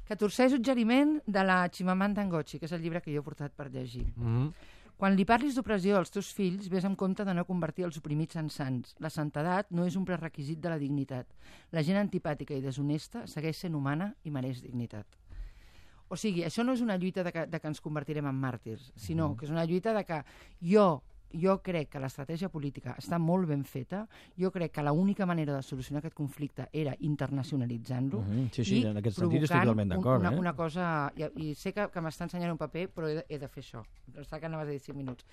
14è suggeriment de la Chimamanda Ngozi, que és el llibre que jo he portat per llegir. Quan li parlis d'opressió als teus fills, vés amb compte de no convertir els oprimits en sants. La santedat no és un prerequisit de la dignitat. La gent antipàtica i deshonesta segueix sent humana i mereix dignitat. O sigui, això no és una lluita de que ens convertirem en màrtirs, sinó que és una lluita de que jo crec que l'estratègia política està molt ben feta, jo crec que l'única manera de solucionar aquest conflicte era internacionalitzant-lo sí, en aquest sentit estic totalment d'acord. Una cosa... I sé que m'està ensenyant un paper, però he de fer això. Està que anaves a dir 5 minuts.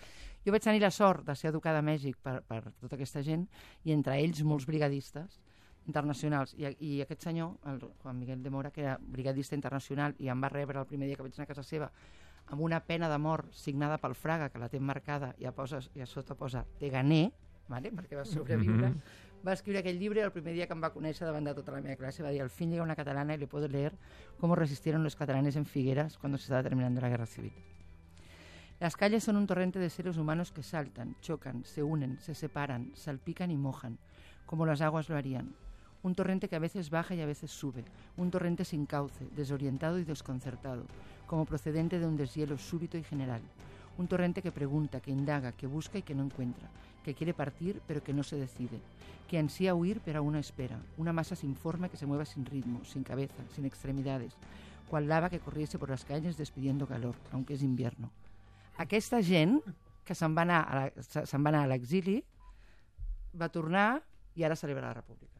Jo vaig tenir la sort de ser educada a Mèxic per tota aquesta gent, i entre ells molts brigadistes internacionals. I aquest senyor, el Juan Miguel de Mora, que era brigadista internacional i em va rebre el primer dia que vaig anar a casa seva amb una pena de mort signada pel Fraga, que la té marcada, i a sota posa «Te gané», vale? Perquè va sobreviure. Va escriure aquell llibre i el primer dia que em va conèixer davant de tota la meva classe va dir «Al fin llega una catalana y le puedo leer cómo resistieron los catalanes en Figueras cuando se estaba terminando la guerra civil». Las calles son un torrente de seres humanos que saltan, chocan, se unen, se separan, salpican y mojan, como las aguas lo harían. Un torrente que a veces baja y a veces sube, un torrente sin cauce, desorientado y desconcertado, como procedente de un deshielo súbito y general. Un torrente que pregunta, que indaga, que busca y que no encuentra, que quiere partir pero que no se decide, que ansía huir pero aún no espera, una masa sin forma que se mueva sin ritmo, sin cabeza, sin extremidades, cual lava que corriese por las calles despidiendo calor, aunque es invierno. Aquesta gent que se'n va anar a l'exili va tornar i ara celebra la República.